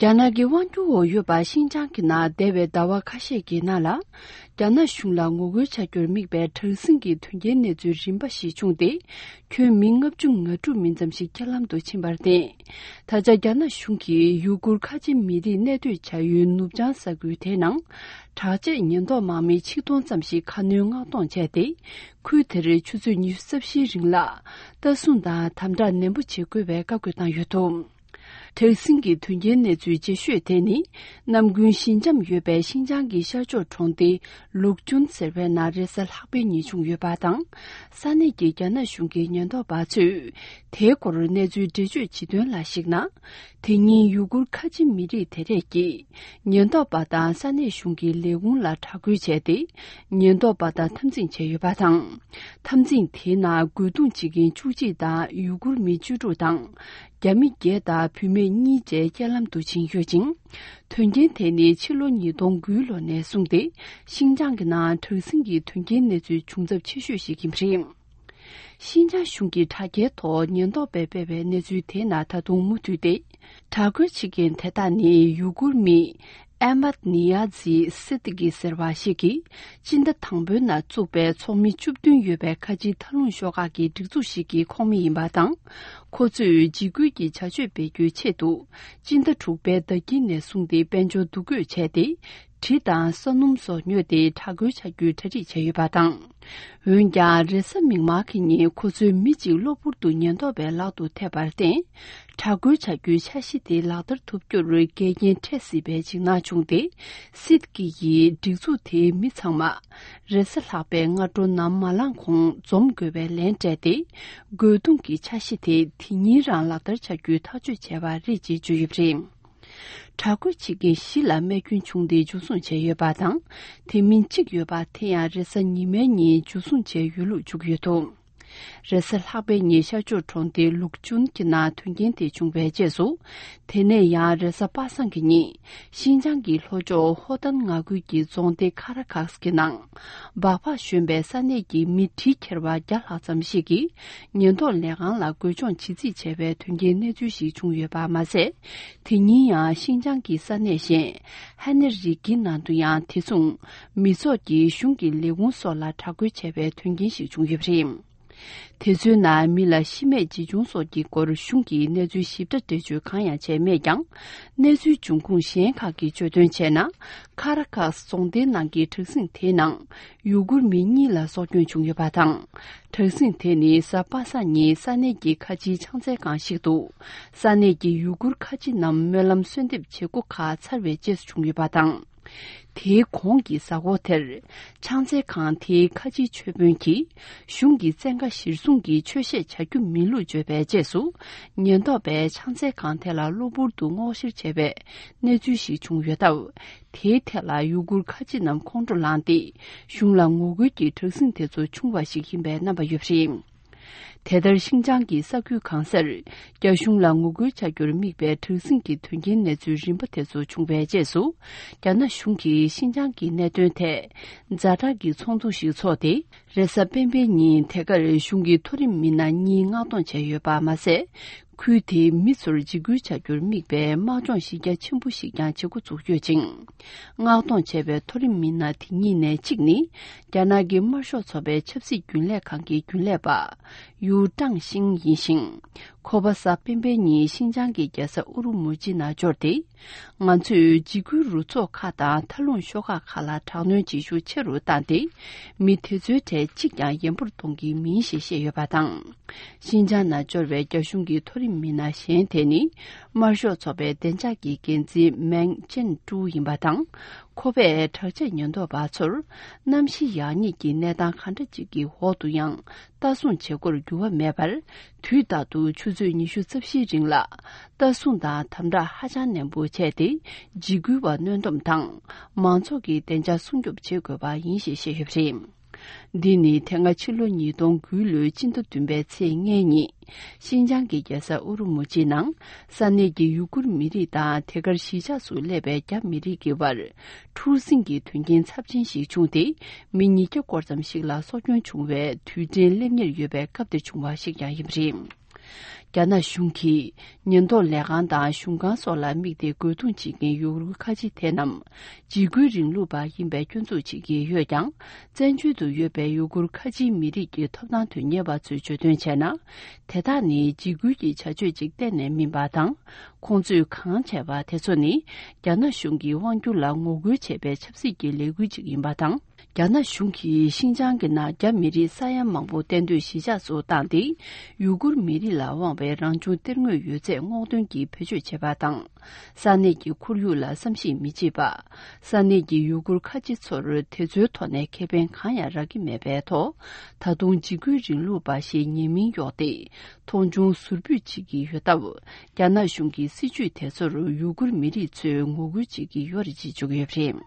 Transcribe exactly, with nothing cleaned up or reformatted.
རྒྱ་ནག་གི་དབང་སྒྱུར་འོག་ཡོད་པ་ཤིན་ཅང་གི་ནང་འདས་པའི་ཟླ་བ་ཁ་ཤས་ཀྱི་ནང་ལ། རྒྱ་ནག་གཞུང་ལ་ངོ་རྒོལ་བྱ་རྒྱུར་དམིགས་པའི་དྲག་ཟིང་གི་དོན་རྐྱེན་གནས་ཚུལ་རིམ་པ་ཞིག་བྱུང་སྟེ། ཁྱོན་མི་ལྔ་བཅུ་ང་དྲུག་མིན་ཙམ་ཞིག་རྐྱེན་ལམ་དུ་ཕྱིན་པར་བརྟེན། ད་ཆ་རྒྱ་ནག་གཞུང་གིས་ཡུ་གུར་ཁ་ཆེ་མི་རིགས་གནས་སྡོད་བྱ་ཡུལ་ནུབ་བྱང་ས་ཁུལ་དེའི་ནང་། དྲག་ཆས་ཉེན་རྟོག་དམག་མི་ཆིག་སྟོང་ཙམ་ཞིག་ཁ་སྣོན་མངགས་གཏོང་བྱས་ཏེ། ཁུལ་དེར་ཆུ་ཚོད་ཉི་ཤུ་རྩ་བཞིའི་རིང་ལ་ལྟ་སྲུང་དང་དམ་དྲག་ནན་པོ་བྱེད་དགོས་པའི་བཀའ་བཀོད་བཏང་ཡོད་འདུག་དྲག་ཟིང་གི་དོན་རྐྱེན་གནས་ཚུལ་ལྗིད་ཤོས་དེ་ནི། ནམ་རྒྱུན་ཞི་འཇམ་ཡོད་པའི་ཤིན་ཅང་གི་ཤར་ཕྱོགས་གྲོང་སྡེ་ལུག་ཅུན་ཟེར་བའི་ནང་རེས་གཟའ་ལྷག་པའི་ཉིན་བྱུང་ཡོད་པ་དང་། ས་གནས་ཀྱི་རྒྱ་ནག་གཞུང་གི་ཉེན་རྟོག་པ་ཚོས། དེའི་སྐོར་གནས་ཚུལ་འགྲེལ་བརྗོད་བྱེད་དོན་ལ་གཞིགས་ན། དེ་ཉིན་ཡུ་གུར་ཁ་ཆེ་མི་རིགས་དེ་རིགས་ཀྱིས། ཉེན་རྟོག་པ་དང་ས་གནས་གཞུང་གི་ལས་ཁུངས་ལ་དྲག་རྒོལ་བྱས་ཏེ། ཉེན་རྟོག་པ་དང་འཐབ་འཛིང་བྱས་ཡོད་པ་དང་། འཐབ་འཛིང་དེའི་ནང་རྒོལ་རྡུང་བྱེད་མཁན་བཅུ་གཅིག་དང་ཡུ་གུར་མི་བཅུ་དྲུག་དང་། རྒྱ་མི་བརྒྱད་དང་བུད་མེད་གཉིས་བཅས་རྐྱེན་ལམ་དུ་ཕྱིན་ཡོད་ཅིང་། དོན་རྐྱེན་དེ་ནི་ཕྱི་ལོ་ཉིས་སྟོང་དགུའི་ལོ་ནས་བཟུང་སྟེ། ཤིན་ཅང་གི་ནང་དྲག་ཟིང་གི་དོན་རྐྱེན་གནས་ཚུལ་བྱུང་ཚབས་ཆེ་ཤོས་ཤིག་ཡིན་པ་རེད། ཤིན་ཅང་གཞུང་གི་དྲ་རྒྱའི་ཐོག་ཉེན་རྟོག་པས་སྤེལ་བའི་གནས་ཚུལ་དེའི་ནང་ད་དུང་མུ་མཐུད་དེ། དྲག་རྒོལ་བྱེད་མཁན་དེ་དག་ནི་ཡུ་གུར་མི། ཨེ་མད་ནི་ཡ་ཛི་སི་ཏི་ཀི་ཟེར་བ་ཞིག་གིས། སྤྱི་ཟླ་དང་པོའི་ནང་བཙུགས་པའི་ཚོགས་མི་བཅུ་བདུན་ཡོད་པའི་ཁ་ཆེའི་མཐའ་ལྷུང་ཤོག་ཁག་གི་སྒྲིག་འཛུགས་ཤིག་གི་ཁོངས་མི་ཡིན་པ་དང་། ཁོ་ཚོས་འཇིགས་སྐུལ་གྱི་བྱ་སྤྱོད་སྤེལ་རྒྱུའི་ཆེད་དུ། སྤྱི་ཟླ་དྲུག་པའི་ཟླ་དཀྱིལ་ནས་བཟུང་སྟེ་དཔལ་འབྱོར་འདུ་འགོད་བྱས་ཏེ། གྲི་དང་ས་སྣུམ་སོགས་ཉོས་ཏེ་དྲག་རྒོལ་བྱ་རྒྱུའི་གྲ་སྒྲིག་བྱས་ཡོད་པ་དང་། འོན་ཀྱང་རེས་གཟའ་མིག་དམར་གྱི་ཉིན་ཁོ་ཚོས་མི་གཅིག་གློ་བུར་དུ་ཉེན་རྟོག་པའི་ལག་ཏུ་ཐེབས་པར་བརྟེན། དྲག་རྒོལ་བྱ་རྒྱུའི་འཆར་གཞི་དེ་ལག་བསྟར་ཐུབ་རྒྱུར་འགལ་རྐྱེན་འཕྲད་སྲིད་པའི་འཇིགས་སྣང་བྱུང་སྟེ། སིད་ཀི་ཡིས་སྒྲིག་འཛུགས་དེའི་མི་ཚང་མ། རེས་གཟའ་ལྷག་པའི་སྔ་དྲོ་ནམ་མ་ལངས་གོང་འཛོམས་དགོས་པའི་ལན་སྤྲད་དེ། རྒོལ་རྡུང་གི་འཆར་གཞི་དེ་དེ་ཉིན་རང་ལག་བསྟར་བྱ་རྒྱུའི་ཐག་གཅོད་བྱས་པ་རེད་ཅེས་བརྗོད་ཡོད་པ་རེད། དྲག་རྒོལ་བྱེད་མཁན་བཞི་ལ་རྨས་སྐྱོན་བྱུང་སྟེ་འཇུ་བཟུང་བྱས་ཡོད་པ་དང་། དེ་མིན་གཅིག་ཡོད་པ་དེ་ཡང་རེས་གཟའ་ཉི་མའི་ཉིན་འཇུ་བཟུང་བྱས་ཡོད་ལུགས་བརྗོད་ཀྱི་ཡོད་འདུག་རེས་གཟའ་ལྷག་པའི་ཉིན་ཤར་ཕྱོགས་གྲོང་སྡེ་ལུག་ཅུན་གྱི་ནང་དོན་རྐྱེན་དེ་བྱུང་བའི་རྗེས་སུ། དེ་ནས་ཡང་རེས་གཟའ་པ་སངས་ཀྱི་ཉིན། ཤིན་ཅང་གི་ལྷོ་ཕྱོགས་ཧོ་ཏན་མངའ་ཁུལ་གྱི་རྫོང་སྡེ་ཁ་ར་ཁག་གི་ནང་། སྦག་སྦག་ཞོན་པའི་ས་གནས་ཀྱི་མི་གྲི་འཁྱེར་བ་བརྒྱ་ལྷག་ཙམ་ཞིག་གིས། ཉེན་རྟོག་ལས་ཁང་ལ་རྒོལ་སྦྱོང་བྱེད་རྩིས་བྱས་པའི་དོན་རྐྱེན་གནས་ཚུལ་ཞིག་བྱུང་ཡོད་པ་མ་ཟད། དེ་ཉིན་ཡང་ཤིན་ཅང་གི་ས་གནས་གཞན། ཧ་ནེ་རི་ཀིའི་ནང་དུ་ཡང་དེ་མཚུངས། མི་ཚོགས་ཀྱིས་གཞུང་གི་ལས་ཁུངས་སོགས་ལ་དྲག་རྒོལ་བྱས་པའི་དོན་རྐྱེན་ཞིག་བྱུང་ཡོད་པ་རེད། དེ་ཚོའི་ནང་མི་ལ་ཤི་རྨས་ཇི་བྱུང་སོགས་ཀྱི་སྐོར་གཞུང་གིས་གནས་ཚུལ་ཞིབ་ཕྲ་འགྲེལ་བརྗོད་གང་ཡང་བྱས་མེད་ཀྱང་། གནས་ཚུལ་འབྱུང་ཁུངས་གཞན་ཁག་གིས་བརྗོད་དོན་བྱས་ན། ཁ་ར་ཁཱས་རྫོང་སྡེའི་ནང་གི་དྲག་ཟིང་དེའི་ནང་ཡུ་གུར་མི་གཉིས་ལ་སྲོག་སྐྱོན་བྱུང་ཡོད་པ་དང་། དྲག་ཟིང་དེ་ནི་གཟའ་པ་སངས་ཉིན་ས་གནས་ཀྱི་ཁ་ཆེའི་ཕྱག་འཚལ་ཁང་ཞིག་ཏུ། ས་གནས་ཀྱི་ཡུ་གུར་ཁ་ཆེ་རྣམས་སྨོན་ལམ་གསོལ་འདེབས་བྱེད་སྒོ་ཁག་ཚར་བའི་རྗེས་སུ་བྱུང་ཡོད་པ་དང་། དེའི་གོང་གི་གཟའ་འཁོར་དེར། ཕྱག་འཚལ་ཁང་དེའི་ཁ་ཆེའི་ཆོས་དཔོན་གྱིས། གཞུང་གི་བཙན་བཀའ་གཞིར་བཟུང་གིས་ཆོས་བཤད་བྱ་རྒྱུ་མིན་ལུགས་བརྗོད་པའི་རྗེས་སུ། ཉེན་རྟོག་པས་ཕྱག་འཚལ་ཁང་དེ་ལ་གློ་བུར་དུ་སྔོག་བཤེར་བྱས་པའི་གནས་ཚུལ་ཞིག་བྱུང་ཡོད་སྟབས། དེའི་ཐད་ལ་ཡུ་གུར་ཁ་ཆེ་རྣམས་ཁོང་ཁྲོ་ལངས་ཏེ། གཞུང་ལ་ངོ་རྒོལ་གྱི་དྲག་ཟིང་དེ་ཚོ་བྱུང་བ་ཞིག་ཡིན་པའི་རྣམ་པ་ཡོད་པ་རེད། དེ་ལྟར་ཤིན་ཅང་གི་ས་ཁུལ་གང་སར། རྒྱ་གཞུང་ལ་ངོ་རྒོལ་བྱ་རྒྱུར་དམིགས་པའི་དྲག་ཟིང་གི་དོན་རྐྱེན་གནས་ཚུལ་རིམ་པ་དེ་ཚོ་བྱུང་བའི་རྗེས་སུ། རྒྱ་ནག་གཞུང་གིས་ཤིན་ཅང་གི་གནད་དོན་ཐད། ཛ་དྲག་གི་ཚོགས་འདུ་ཞིག་འཚོགས་ཏེ། རེས་གཟའ་སྤེན་པའི་ཉིན་དེ་གར་གཞུང་གི་མཐོ་རིམ་མི་སྣ་གཉིས་མངགས་གཏོང་བྱས་ཡོད་པ་མ་ཟད། ཁུལ་དེའི་མི་ཚོར་འཇིགས་སྐུལ་བྱ་རྒྱུར་དམིགས་པའི་དམག་སྦྱོང་གཞི་རྒྱ་ཆེན་པོ་ཞིག་ཀྱང་བྱེད་འགོ་ཚུགས་ཡོད་ཅིང་། མངགས་གཏོང་བྱས་པའི་མཐོ་རིམ་མི་སྣ་དེ་གཉིས་ནས་གཅིག་ནི། རྒྱ་ནག་གི་དམར་ཤོག་ཚོགས་པའི་ཆབ་སྲིད་རྒྱུན་ལས་ཁང་གི་རྒྱུན་ལས་པ། ཡུའུ་ཀྲང་ཤིང་ཡིན་ཞིང་། ཁོ་པ་གཟའ་སྤེན་པའི་ཉིན་ཤིན་ཅང་གི་རྒྱལ་ས་ཨུ་རུ་མུ་ཅི་ནང་འབྱོར་ཏེ། ང་ཚོས་འཇིགས་སྐུལ་རུ་ཚོགས་ཁག་དང་མཐའ་ལྷུང་ཤོག་ཁག་ཁག་ལ་དྲག་གནོན་བྱེད་ཤུགས་ཆེ་རུ་བཏང་སྟེ། མི་དེ་ཚོའི་གྲས་གཅིག་ཀྱང་ཡན་པོར་གཏོང་གི་མིན་ཞེས་བཤད་ཡོད་པ་དང་། ཤིན་ཅང་ནང་འབྱོར་བའི་རྒྱ་གཞུང་གི་མཐོ་རིམ་མི་སྣ་གཞན་དེ་ནི། དམར་ཤོག་ཚོགས་པའི་བདེ་འཇགས་ཀྱི་འགན་འཛིན་མེང་ཅན་ཀྲུའུ་ཡིན་པ་དང་། ཁོ་པས་དྲག་ཆས་ཉེན་རྟོག་པ་ཚོར། གནམ་གཤིས་ཡག་ཉེས་ཀྱི་གནས་སྟངས་གང་འདྲ་ཅིག་གི་འོག་ཏུ་ཡང་། ལྟ་སྲུང་བྱེད་སྒོར་འགྱུར་བ་མེད་པར། དུས་རྟག་ཏུ་ཆུ་ཚོད་ཉི་ཤུ་རྩ་བཞིའི་རིང་ལ། ལྟ་སྲུང་དང་དམ་དྲག་ཧ་ཅང་ནན་པོ་བྱས་ཏེ། འཇིགས་སྐུལ་བ་གནོན་སྡོམ་དང་། མང་ཚོགས་ཀྱི་བདེ་འཇགས་སྲུང་སྐྱོབ་བྱེད་དགོས་པ་ཡིན་ཞེས་བཤད་ཡོད་པ་རེད། འདི་ནི་དེ་སྔ་ཕྱི་ལོ་ཉིས་སྟོང་དགུའི་ལོའི་སྤྱི་ཟླ་བདུན་པའི་ཚེས་ལྔའི་ཉིན། ཤིན་ཅང་གི་རྒྱལ་ས་ཨུ་རུ་མུ་ཅི་ནང་། ས་གནས་ཀྱི་ཡུ་གུར་མི་རིགས་དང་དེ་གར་གཞིས་ཆགས་སུ་སླེབས་པའི་རྒྱ་མི་རིགས་ཀྱི་བར། འཁྲུག་ཟིང་གི་དོན་རྐྱེན་ཚབས་ཆེན་ཞིག་བྱུང་སྟེ། མི་ཉིས་བརྒྱ་སྐོར་ཙམ་ཞིག་ལ་སྲོག་སྐྱོན་བྱུང་བའི་དུས་དྲན་སླེབས་ཉེར་ཡོད་པའི་སྐབས་དེར་བྱུང་བ་ཞིག་ཀྱང་ཡིན་པ་རེད། རྒྱ་ནག་གཞུང་གིས་ཉེན་རྟོག་ལས་ཁང་དང་གཞུང་ཁང་སོགས་ལ་དམིགས་ཏེ་རྒོལ་རྡུང་བྱེད་མཁན་ཡུ་གུར་ཁ་ཆེ་དེ་རྣམས་འཇིགས་སྐུལ་རིང་ལུགས་པ་ཡིན་པའི་སྐྱོན་འཛུགས་བྱེད་ཀྱི་ཡོད་ཀྱང་། བཙན་བྱོལ་དུ་ཡོད་པའི་ཡུ་གུར་ཁ་ཆེའི་མི་རིགས་ཀྱི་ཐོབ་ཐང་དོན་གཉེར་བ་ཚོས་བརྗོད་དོན་བྱས་ན། དེ་དག་ནི་འཇིགས་སྐུལ་གྱི་བྱ་སྤྱོད་ཅིག་གཏན་ནས་མིན་པ་དང་། ཁོང་ཚོས་གང་བྱས་པ་དེ་ཚོ་ནི་རྒྱ་ནག་གཞུང་གིས་དབང་སྒྱུར་ལ་ངོ་རྒོལ་བྱས་པའི་ཆབ་སྲིད་ཀྱི་ལས་འགུལ་ཅིག་ཡིན་པ་དང་། རྒྱ་ནག་གཞུང་གིས་ཤིན་ཅང་གི་ནང་རྒྱ་མི་རིགས་ས་ཡ་མང་པོ་གཏན་སྡོད་གཞིས་ཆགས་སུ་བཏང་སྟེ། ཡུ་གུར་མི་རིགས་ལ་དབང་བའི་རང་བྱུང་གཏེར་དངོས་ཡོད་ཚད་སྔོག་འདོན་གྱིས་བེད་སྤྱོད་བྱེད་པ་དང་། ས་གནས་ཀྱི་ཁོར་ཡུག་ལ་བསམ་ཤེས་མི་བྱེད་པ། ས་གནས་ཀྱི་ཡུ་གུར་ཁ་ཆེ་ཚོར་དེ་ཚོའི་ཐོག་ནས་ཁེ་ཕན་གང་ཡང་རག་གི་མེད་པའི་ཐོག་ད་དུང་འཇིགས་སྐུལ་རིང་ལུགས་པ་ཞེས་ཉེས་མིང་གཡོགས་ཏེ། མཐོང་ཆུང་ཟུར་ཕུད་བྱེད་ཀྱི་ཡོད་སྟབས། རྒྱ་ནག་གཞུང་གི་སྲིད་བྱུས་དེ་ཚོར་ཡུ་གུར་མི་རིགས་ཚོས་ངོ་རྒོལ་བྱེད་ཀྱི་ཡོད་རེད་ཅེས་བརྗོད་ཀྱི་ཡོད་པ་རེད།